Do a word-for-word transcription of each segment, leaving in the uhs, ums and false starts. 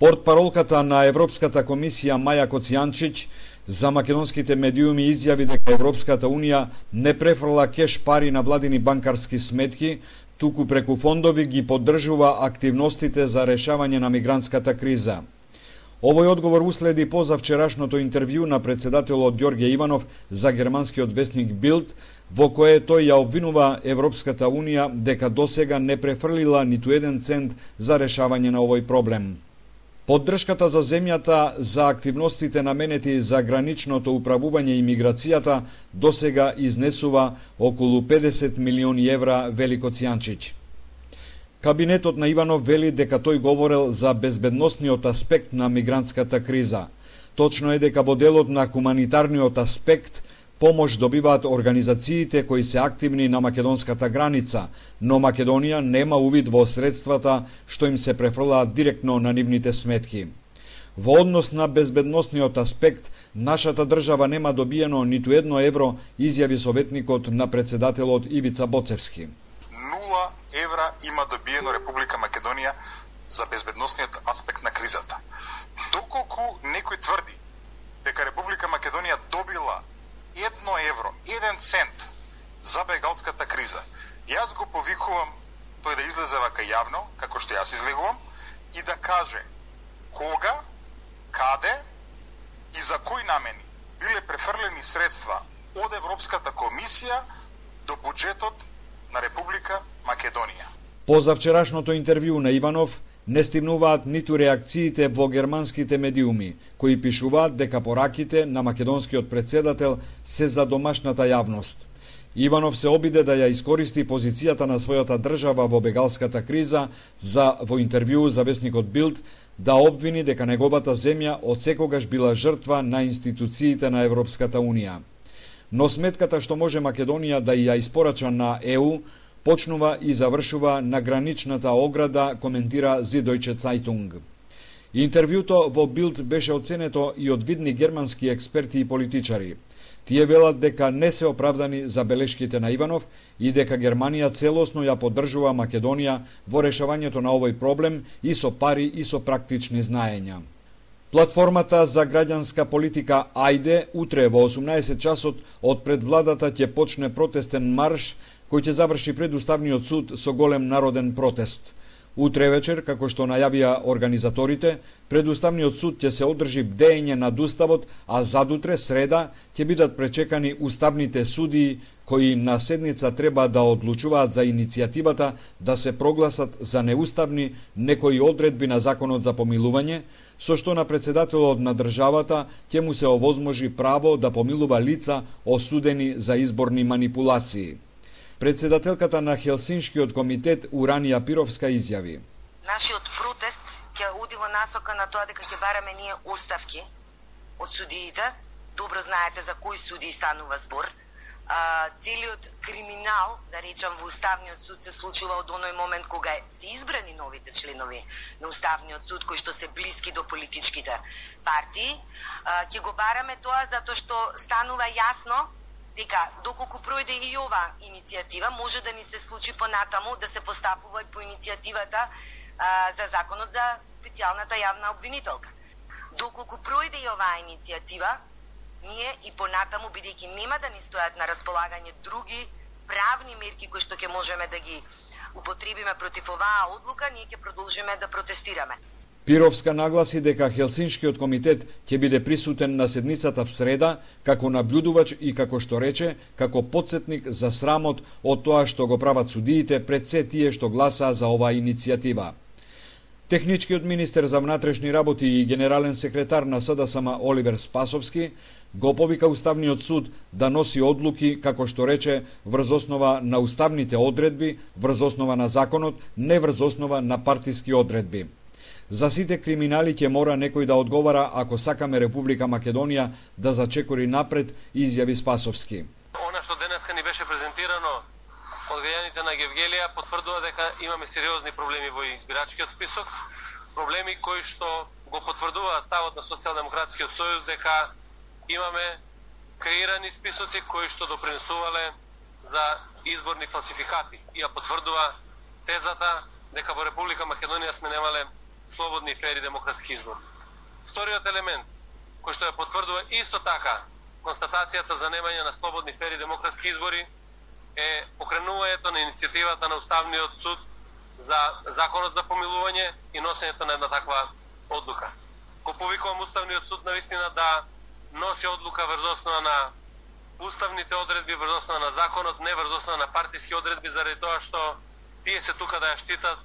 Портпаролката на Европската комисија Маја Коцијанчиќ за македонските медиуми изјави дека Европската унија не префрла кеш пари на владини банкарски сметки, туку преку фондови ги поддржува активностите за решавање на мигрантската криза. Овој одговор уследи позавчерашното интервју на председателот Ѓорѓе Иванов за германскиот весник Билд, во кое тој ја обвинува Европската унија дека досега не префрлила ниту еден цент за решавање на овој проблем. Поддршката за земјата за активностите наменети за граничното управување и миграцијата досега изнесува околу педесет милиони евра, вели Коцијанчиќ. Кабинетот на Иванов вели дека тој говорел за безбедносниот аспект на мигрантската криза. Точно е дека во делот на хуманитарниот аспект помош добиваат организациите кои се активни на македонската граница, но Македонија нема увид во средствата што им се префрлаат директно на нивните сметки. Во однос на безбедносниот аспект, нашата држава нема добиено ниту едно евро, изјави советникот на председателот Ивица Боцевски. Нула евра има добиено Република Македонија за безбедносниот аспект на кризата. Доколку некој тврди дека Република Македонија добила едно евро, еден цент за бегалската криза, јас го повикувам тој да излезе вака јавно, како што јас излегувам, и да каже кога, каде и за кои намени биле префрлени средства од Европската комисија до буџетот на Република Македонија. Позавчерашното интервју на Иванов не стигнуваат ниту реакциите во германските медиуми, кои пишуваат дека пораките на македонскиот председател се за домашната јавност. Иванов се обиде да ја искористи позицијата на својата држава во бегалската криза за во интервју за весникот Билд да обвини дека неговата земја одсекогаш била жртва на институциите на Европската унија. Но сметката што може Македонија да ја испорача на Е У почнува и завршува на граничната ограда, коментира Süddeutsche Zeitung. Интервјуто во Билд беше оценето и од видни германски експерти и политичари. Тие велат дека не се оправдани забелешките на Иванов и дека Германија целосно ја поддржува Македонија во решавањето на овој проблем и со пари и со практични знаења. Платформата за граѓанска политика Ајде утре во осумнаесет часот од пред владата ќе почне протестен марш кој ќе заврши пред Уставниот суд со голем народен протест. Утре вечер, како што најавија организаторите, пред Уставниот суд ќе се одржи бдење над Уставот, а задутре, среда, ќе бидат пречекани уставните судии кои на седница треба да одлучуваат за иницијативата да се прогласат за неуставни некои одредби на Законот за помилување, со што на председателот на државата ќе му се овозможи право да помилува лица осудени за изборни манипулации. Председателката на Хелсиншкиот комитет Уранија Пировска изјави: Нашиот протест ќе оди во насока на тоа дека ќе бараме ние оставки од судиите. Добро знаете за кои судии станува збор. А, целиот криминал, да речам, во Уставниот суд се случува од оној момент кога се избрани новите членови на Уставниот суд, кои што се блиски до политичките партии. А, ќе го бараме тоа затоа што станува јасно дека доколку пројде и ова иницијатива, може да ни се случи понатаму да се постапува и по иницијативата а, за законот за специјалната јавна обвинителка. Доколку пројде и оваа иницијатива, ние и понатаму, бидејќи нема да ни стојат на располагање други правни мерки кои што ќе можеме да ги употребиме против оваа одлука, ние ќе продолжиме да протестираме. Пировска нагласи дека Хелсиншкиот комитет ќе биде присутен на седницата в среда како наблюдувач и, како што рече, како потсетник за срамот од тоа што го прават судиите пред се тие што гласаа за оваа иницијатива. Техничкиот министер за внатрешни работи и генерален секретар на С Д С М Оливер Спасовски го повика Уставниот суд да носи одлуки, како што рече, врз основа на уставните одредби, врз основа на законот, не врз основа на партиски одредби. За сите криминали ќе мора некој да одговара ако сакаме Република Македонија да зачекори напред, изјави Спасовски. Она што денеска ни беше презентирано од граѓаните на Гевгелија потврдува дека имаме сериозни проблеми во избирачкиот список, проблеми кои што го потврдуваат ставот на Социјалдемократскиот сојуз дека имаме креирани списоци кои што допринесувале за изборни фалсификати и ја потврдува тезата дека во Република Македонија сме немале слободни и фери демократски избори. Вториот елемент, кој што ја потврдува исто така констатацијата за немање на слободни фери демократски избори, е покренувањето на иницијативата на Уставниот суд за законот за помилување и носењето на една таква одлука. Го повикувам Уставниот суд навистина да носи одлука врз основа на уставните одредби, врз основа на законот, не врз основа на партиски одредби, заради тоа што тие се тука да ја штитат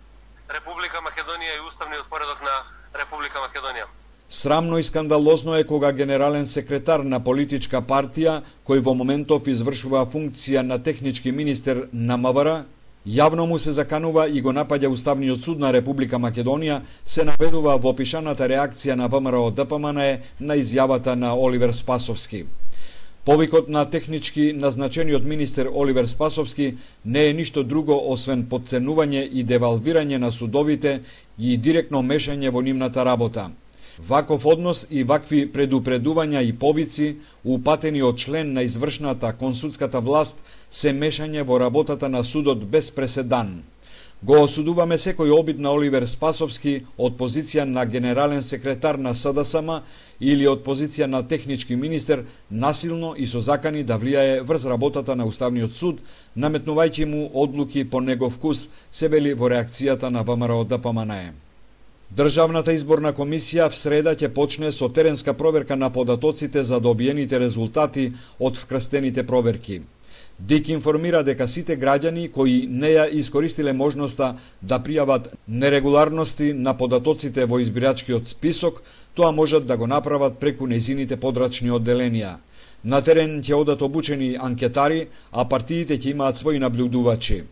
Република Македонија и уставниот поредок на Република Македонија. Срамно и скандалозно е кога генерален секретар на политичка партија, кој во моментов извршува функција на технички министер на МВР, јавно му се заканува и го напаѓа Уставниот суд на Република Македонија, се наведува во опишаната реакција на ВМРО Д П М Н Е на изјавата на Оливер Спасовски. Повикот на технички назначениот министер Оливер Спасовски не е ништо друго освен подценување и девалвирање на судовите и директно мешање во нивната работа. Ваков однос и вакви предупредувања и повици, упатени од член на извршната консудската власт, се мешање во работата на судот без преседан. Го осудуваме секој обид на Оливер Спасовски од позиција на генерален секретар на С Д С М или од позиција на технички министер насилно и со закани да влијае врз работата на Уставниот суд, наметнувајќи му одлуки по негов вкус, се вели во реакцијата на ВМРО Д П М Н Е. Државната изборна комисија в среда ќе почне со теренска проверка на податоците за добиените резултати од вкрстените проверки. Д И К информира дека сите граѓани кои не ја искористиле можноста да пријават нерегуларности на податоците во избирачкиот список, тоа можат да го направат преку нејзините подрачни одделенија. На терен ќе одат обучени анкетари, а партиите ќе имаат своји наблюдувачи.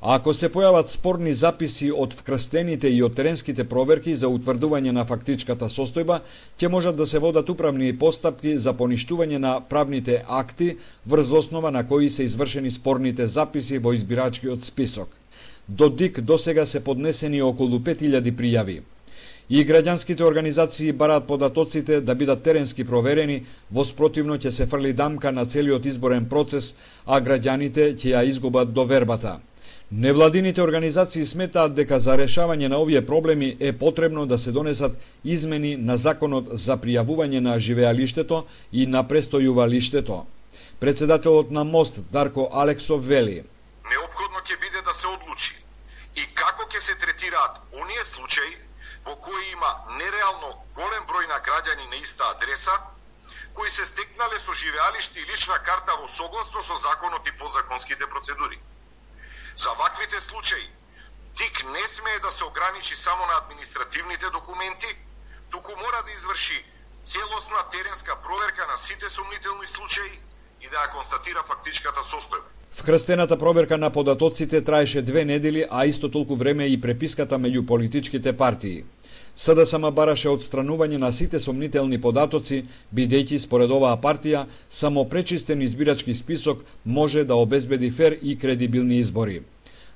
А ако се појават спорни записи од вкрстените и од теренските проверки за утврдување на фактичката состојба, ќе можат да се водат управни постапки за поништување на правните акти врз основа на кои се извршени спорните записи во избирачкиот список. До Д И К досега се поднесени околу пет илјади пријави. И граѓанските организации бараат податоците да бидат теренски проверени, во спротивно ќе се фрли дамка на целиот изборен процес, а граѓаните ќе ја изгубат довербата. Невладините организации сметаат дека за решавање на овие проблеми е потребно да се донесат измени на законот за пријавување на живеалиштето и на престојувалиштето. Председателот на МОСТ Дарко Алексов вели: неопходно ќе биде да се одлучи и како ќе се третираат оние случаи во кои има нереално голем број на граѓани на иста адреса, кои се стекнале со живеалиште и лична карта во согласно со законот и подзаконските процедури. За ваквите случаи, Д И К не смее да се ограничи само на административните документи, туку мора да изврши целосна теренска проверка на сите сомнителни случаи и да ја констатира фактичката состојба. Вкрстената проверка на податоците траеше две недели, а исто толку време и преписката меѓу политичките партии. С Д С М бараше отстранување на сите сомнителни податоци, бидејќи според оваа партија само пречистен избирачки список може да обезбеди фер и кредибилни избори.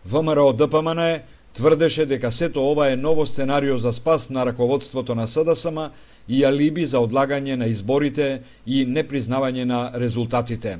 ВМРО Д П М Н Е тврдеше дека сето ова е ново сценарио за спас на раководството на С Д С М и алиби за одлагање на изборите и непризнавање на резултатите.